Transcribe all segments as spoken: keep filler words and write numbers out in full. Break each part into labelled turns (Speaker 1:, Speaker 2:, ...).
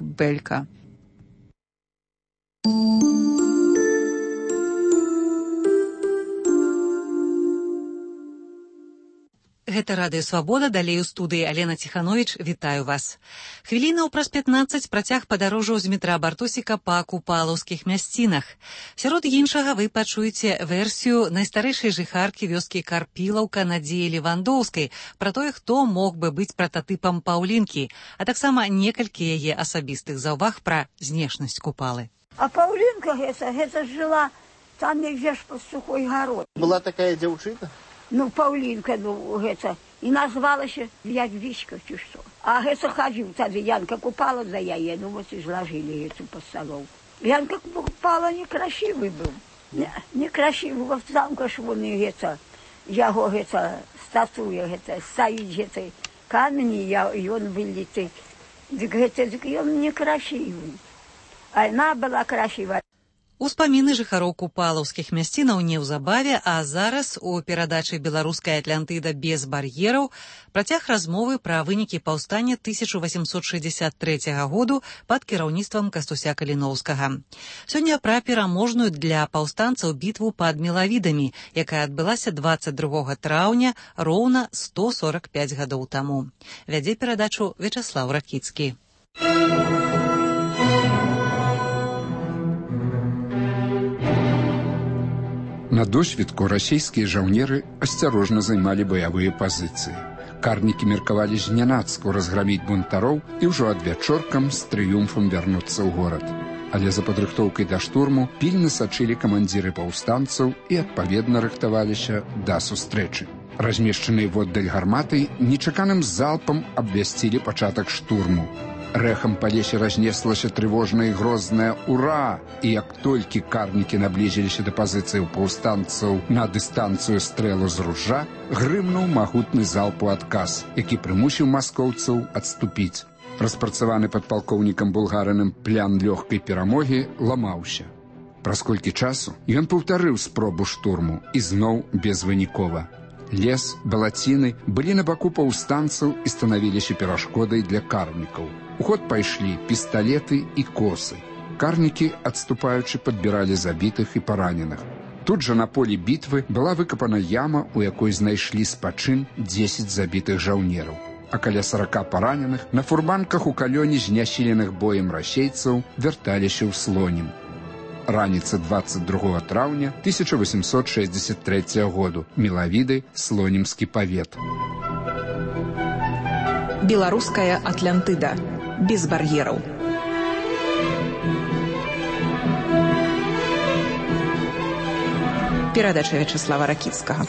Speaker 1: Олег Белька. Гэта Радыё Свабода, далей у студыі Алена Ціхановіч, вітаю вас. Хвілінаў праз пятнаццаць працяг падарожжаў з Дмітра Бартосіка па купалаўскіх мясцінах. Сярод іншага вы пачуеце версію найстарэйшай жыхаркі вёскі Карпілаўка Надзеі Левандоўскай пра тое, хто мог бы быць прататыпам Паўлінкі, а таксама некалькі яе асабістых заўваг пра знешнасць Купалы.
Speaker 2: А Паўлінка гэта, гэта жыла там нельзя ж пад Сухой гарой.
Speaker 3: Была такая дзяўчына?
Speaker 2: Ну, Паўлінка, ну, гэта, і назвалася Ядвічка, ці што. А гэта хадзіў тады, Янка Купала за яе, ну, вот і зложили гэту пад сталом. Янка Купала некрасивый быў. Не, некрасивый, вот замка ж вон і гэта, яго гэта, статуя гэта, стаіць гэта, камень, і ён выліты. Дык гэта, дык ён некрасивый. А яна была красивая.
Speaker 1: Успаміны жыхароў купалаўскіх мясцінаў неўзабаве, а зараз у перадачы «Беларуская Атлантыда без бар'ераў» працяг размовы пра вынікі паўстання тысяча васемсот шэсцьдзесят трэцяга году пад кіраўніцтвам Кастуся Каліноўскага. Сёння пра пераможную для паўстанцаў бітву пад Мелавідамі, якая адбылася дваццаць другога траўня роўна сто сорак пяць гадоў таму. Вядзе перадачу Вячаслаў Ракіцкі.
Speaker 4: На досвідку расійскія жаўнеры асцярожна займалі баявыя пазіцыі. Карнікі меркавалі знянацку разграміць бунтароў і ўжо адвячоркам з трыумфам вярнуцца ў горад. Але за падрыхтоўкай да штурму пільна сачылі камандзіры паўстанцаў і адпаведна рыхтаваліся да сустрэчы. Размешчаныя воддаль гарматы нечаканым залпам абвясцілі пачатак штурму. Рэхам па лесе разнеслася трывожнае і грознае «Ура!» І як толькі карнікі наблізіліся да пазіцыяў паўстанцаў на дыстанцыю стрэлу з ружжа, грымнуў магутны залп у адказ, які прымусіў маскоўцаў адступіць. Распрацаваны падпалкоўнікам Булгарыным плян лёгкай перамогі ламаўся. Праз колькі часу ён паўтарыў спробу штурму і зноў безвынікова. Лес, балаціны былі на баку паўстанцаў і станавіліся перашкодай для карнікаў. У ход пайшлі пісталеты і косы. Карнікі, адступаючы, падбіралі забітых і параненых. Тут жа на полі бітвы была выкапана яма, у якой знайшлі спачын дзесяць забітых жаўнераў. А каля сарака параненых на фурманках у калёне знясіленых боем расейцаў вярталіся ў Слонім. Раніца дваццаць другога траўня тысяча васемсот шэсцьдзесят трэцяга году. Мелавіды, Слонімскі павет.
Speaker 5: Беларуская Атлантыда. Без бар'ераў. Перадача Вячаслава Ракіцкага.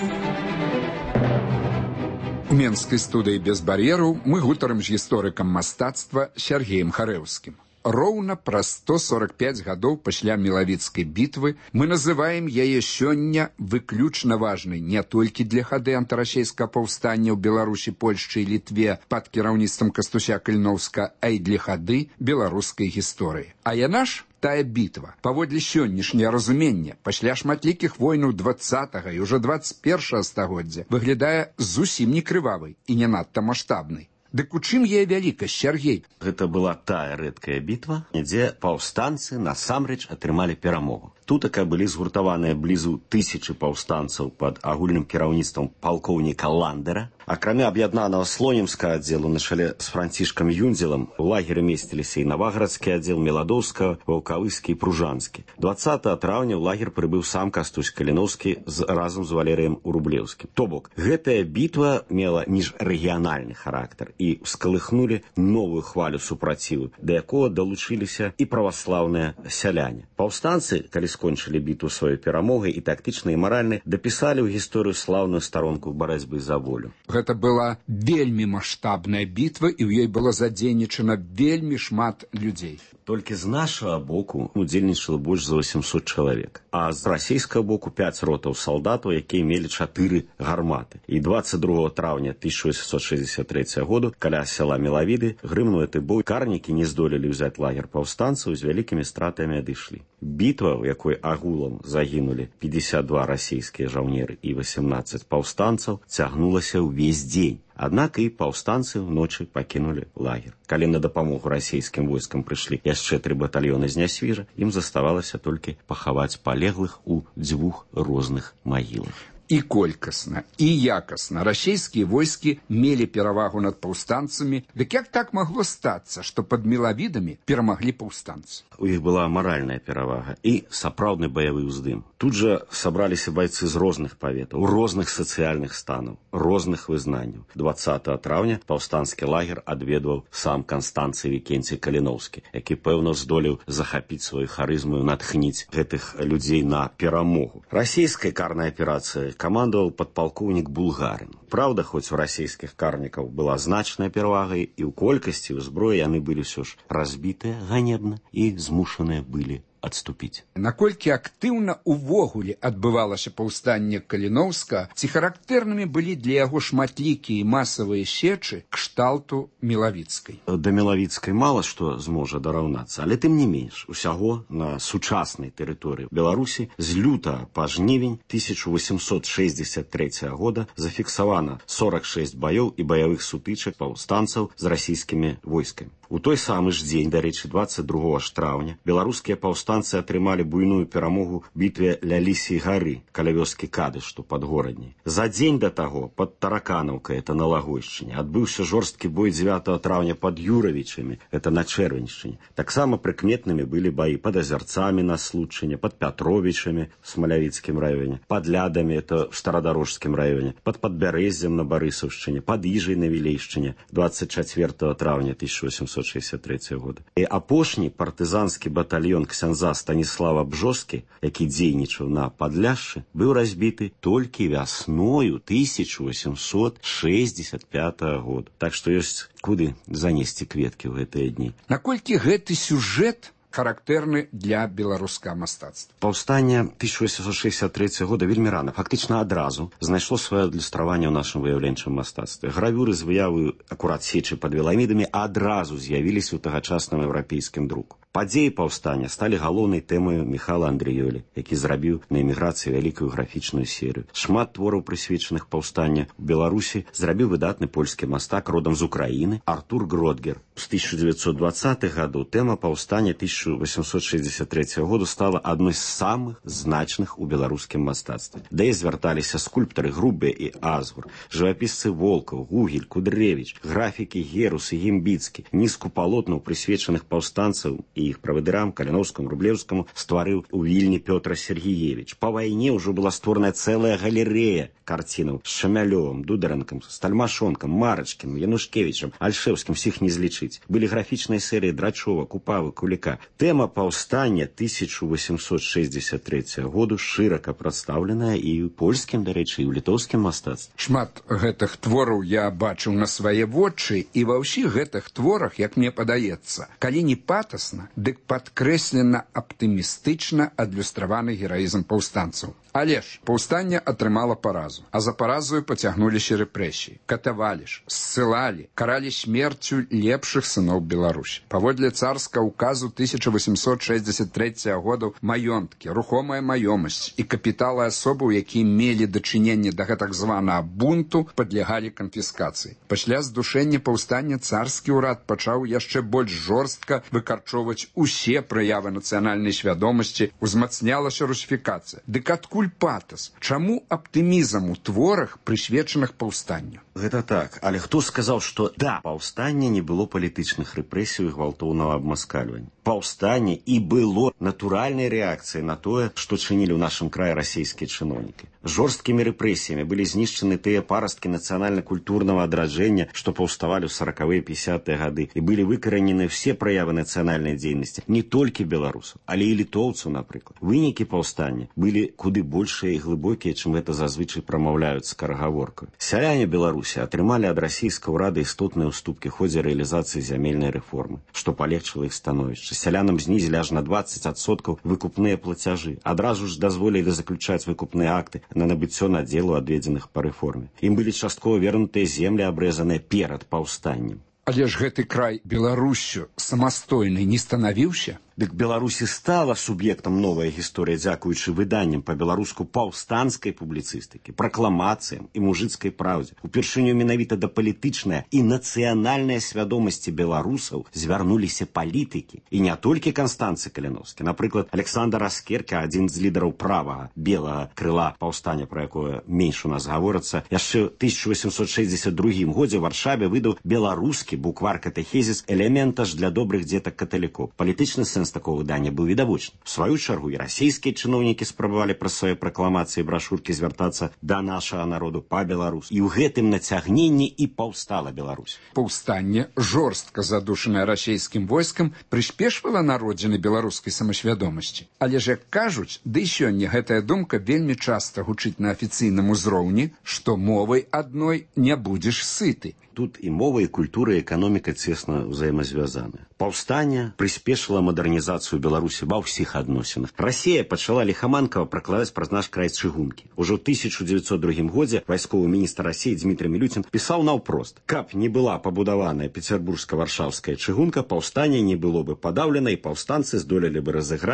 Speaker 4: У менскай студыі «Без бар'ераў» мы гутарым з гісторыкам мастацтва Сергеем Харэўскім. Роўна праз сто сорак пяць гадоў пасля Мелавіцкай бітвы мы называем яе сёння выключна важнай не толькі для хады антырасійскага паўстання ў Беларусі, Польшчы і Літве пад кіраўніцтвам Кастуся Каліноўска, а і для хады беларускай гісторыі. А яна ж тая бітва, паводле сённяшняе разуменне, пасля шматлікіх войнаў дваццатага і ўжо дваццаць першага стагоддзя выглядае зусім не крывавай і не надта маштабнай. Дык у чым яе вялікасць, Сергей?
Speaker 6: Гэта была тая рэдкая бітва, дзе паўстанцы насамрэч атрымалі перамогу. Тутака былі згуртаваныя блізу тысячы паўстанцаў пад агульным кіраўніцтвам палкоўніка Ландера. Акрамя аб'яднанага слонімскага аддзелу на чале з Францішкам Юндзелам у лагеры месціліся і Наваградскі аддзел Меладоўскага, Ваўкавыскі і Пружанскі. дваццатага траўня ў лагер прыбыў сам Кастусь Каліноўскі з, разам з Валерыем Урублеўскім. То бок, гэтая бітва мела міжрэгіянальны характар і скалыхнулі новую хвалю супраціву, да якога далучыліся і праваслаўныя сяляне. Паўстанцы, калі скончылі бітву сваёй перамогай і тактычна і маральна, дапісалі ў гісторыю слаўную старонку барацьбы за волю.
Speaker 4: Гэта была вельмі маштабная бітва, і ў ёй было задзейнічана вельмі шмат людзей.
Speaker 6: Толькі з нашага боку удзельнічала больш за восемьсот чалавек, а з расійскага боку пяць ротаў салдатаў, якія мелі чатыры гарматы. І дваццаць другога траўня тысяча васемсот шэсцьдесят трэцяга году каля сяла Мелавіды грымнуў гэты бой. Карнікі не здолелі ўзяць лагер паўстанцаў, з вялікімі стратамі адышлі. Бітва, у якой агулам загінулі пятьдесят два расійскія жаўнеры і восемнадцать паўстанцаў, цягнулася ўвесь дзень. Аднак і паўстанцы ўночы пакінулі лагер. Калі на дапамогу расійскім войскам прыйшлі яшчэ тры батальёны з Нясвіжа, ім заставалася толькі пахаваць палеглых у дзвюх розных магілах.
Speaker 4: І колькасна, і якасна расійскія войскі мелі перавагу над паўстанцамі. Дык як так магло стацца, што пад мелавідамі перамаглі паўстанцы?
Speaker 6: У іх была маральная перавага і сапраўдны баявы ўздым. Тут жа сабраліся байцы з розных паветаў, розных сацыяльных станаў, розных вызнанняў. дваццатага траўня паўстанскі лагер адведваў сам Канстанцый Вікенцій Каліноўскі, які, пэўна, здолеў захапіць сваю харызму, натхніць гэтых людзей на перамогу. Расійская карная аперацыя камандаваў падпалкоўнік Булгарин. Праўда, хоць у расійскіх карнікаў была значная перавага, і ў колькасці, ў зброі яны былі ўсё ж разбітыя ганебна і змушаныя былі адступіць.
Speaker 4: Наколькі актыўна увогуле адбывалася паўстанне Каліноўска, ці характэрнымі былі для яго шматлікія масавыя сечы кшталту Мелавіцкай?
Speaker 6: Да Мелавіцкай мала што зможа дараўнацца, але тым не менш, усяго на сучаснай тэрыторыі Беларусі з лютага па жнівень тысяча восемьсот шэсцьдзесят трэцяга года зафіксавана сорок шесть баёў і баявых сутычак паўстанцаў з расійскімі войскамі. У той самы ж дзень, дарэчы, дваццаць другога траўня, беларускія паўстанцы атрымалі буйную перамогу ў бітве ля Лісій гары, каля вёскі Кадыш, што пад горадняй. За дзень да таго, пад Тараканаўкай, это на Лагойшчыне, адбыўся жорсткі бой дзевятага траўня пад Юравічамі, это на Чэрвеньшчыне. Таксама прыкметнымі былі баі пад Азярцамі на Случыне, пад Пятровічамі в Смалявіцкім раёне, пад Лядамі, это в Старадарожскім раёне, пад Падбярэззем на Барысаўшчыне, пад Іжай на Вілейшчыне дваццаць чацвёртага траўня тысяча восемьсот шэсцьдзесят трэцяга года. І апошні партызанскі батальён ксяндза Станіслава Бжоскі, які дзейнічаў на Падляшшы, быў разбіты толькі вясною тысяча восемьсот шэсцьдзесят пятага года. Так што ёсць куды занесці кветкі ў гэтыя дні.
Speaker 4: Наколькі гэты сюжэт характэрны для беларускага мастацтва?
Speaker 6: Паўстанне тысяча восемьсот шэсцьдесят трэцяга года вельмі рана, фактычна адразу, знайшло сваё адлюстраванне ў нашым выяўленчым мастацтве. Гравюры з выявы акурат сечы пад веламідамі адразу з'явіліся ў тагачасным еўрапейскім друку. Падзеі паўстання сталі галоўнай тэмаю Міхала Андрыёлі, які зрабіў на эміграцыі вялікую графічную серыю. Шмат твораў, прысвечаных паўстанню ў Беларусі, зрабіў выдатны польскі мастак родам з Украіны Артур Гродгер. З тысяча дзевяцьсот дваццатых гадоў тэма паўстання тысяча восемьсот шэсцьдесят трэцяга года стала адной з самых значных у беларускім мастацтве. Да і звярталіся скульптары Грубе і Азгур, жывапісцы Волкаў, Гугель, Кудревіч, графікі Герус і Гімбіцкі. Нізку палотнаў, прысвечаных паўстанцаў і іх правадырам Каліноўскаму, Рублеўскаму, стварыў у Вільні Пётр Сергеевич. Па вайне ўжо была створаная цэлая галерэя карцінаў з Шамялёвым, Дударэнкам, Стальмашонкам, Марачкім, Янушкевічам, Альшэўскім, всіх не злічыць. Былі графічныя серыі Драчова, Купавы, Куліка. Тэма паўстання тысяча восемьсот шэсцьдесят трэцяга году шырока прадстаўленая і ў польскім, дарэчы, і ў літоўскім мастацтве.
Speaker 4: Шмат гэтых твораў я бачыў на свае вочы, і ва ўсіх гэтых творах, як мне падаецца, калі не патасна, дык падкрэслена аптымістычна адлюстраваны гераізм паўстанцаў. Але ж паўстанне атрымала паразу, а за паразою пацягнуліся рэпрэсіі, катавалі ж, ссылалі, каралі смерцю лепшых сыноў Беларусі. Паводле царскага указу тысяча восемьсот шэсцьдесят трэцяга года маёнткі, рухомая маёмасць і капіталы асобаў, якія мелі дачыненне да гэтак званага бунту, падлягалі канфіскацыі. Пасля здушэння паўстання царскі ўрад пачаў яшчэ больш жорстка выкарчоўваць усе праявы нацыянальнай свядомасці, узмацнялася русіфікацыя. Дык адкуль патас? Чаму аптымізм у творах, прысвечаных паўстанню?
Speaker 6: Гэта так, але хто сказаў, што да паўстання не было палітычных рэпрэсій і гвалтоўнага абмаскальвання? Паўстанне і было натуральнай рэакцыяй на тое, што чынілі ў нашым краі расійскія чыноўнікі. Жорсткімі рэпрэсіямі былі знішчаны тыя парасткі нацыянальна-культурнага адраджэння, што паўставалі ў саракавыя пяцідзясятыя гады, і былі выкаранены ўсе праявы нацыянальнай дзейнасці, не толькі беларусаў, але і літоўцаў, напрыклад. Вынікі паўстання былі куды большыя і глыбокія, чым гэта зазвычай прамаўляюць скарагаворкаю. Сяляне Беларусі атрымалі ад расійскага ўрада істотныя ўступкі ў ходзе рэалізацыі зямельнай рэформы, што палегчыла іх становішча. Сялянам знізілі аж на дваццаць адсоткаў выкупныя плацяжы. Адразу ж дазволілі заключаць выкупныя акты на набыццё надзелу, адведзеных па рэформе. Ім былі часткова вернутыя землі, абрэзаныя перад паўстаннем.
Speaker 4: Але ж гэты край Беларуссю самастойнай не станавіўся?
Speaker 6: Дык Беларусі стала суб'ектам новая гісторыя дзякуючы выданням па-беларуску паўстанцкай публіцыстыкі, пракламацыям і мужыцкай праўдзе. Упершыню менавіта да палітычнай і нацыянальнай свядомасці беларусаў звярнуліся палітыкі. І не толькі Канстанцы Каліновскі. Напрыклад, Александр Аскерка, адзін з лідараў правага белага крыла паўстання, пра якое менш у нас гаворыцца, яшчэ ў тысяча восемсот шэсцьдзесят другім годзе ў Варшаве выдаў беларускі буквар катэхезіс «Элементаж для добрых дзетак каталікоў». Палітычны сэнс такого выдання быў відавочны. В сваю чаргу і расійскія чыноўнікі спрабавалі праз свае пракламацыі і брашуркі звяртацца да нашага народу па-беларуску. І ў гэтым нацягненні і паўстала Беларусь.
Speaker 4: Паўстанне, жорстка задушанае расійскім войскам, прыспешвала народзіны беларускай самасвядомасці. Але ж, як кажуць, ды і сёння гэтая думка вельмі часта гучыць на афіцыйным узроўні, што мовай адной не будзеш сыты.
Speaker 6: Тут і мова, і культура, і эканоміка цесна ўзаемазвязаны. Паўстанне прыспешыла мадэрнізацыю Беларусі ва ўсіх адносінах. Расія пачала ліхаманкава пракладаць праз наш край чыгункі. Ужо ў тысяча дзевяцьсот другім годзе вайсковы міністр Расіі Дмітрый Мілюцін пісаў наўпрост: каб не была пабудаваная пецярбургска-варшаўская чыгунка, паўстанне не было бы падаўлена, і паўстанцы здолелі бы разыграць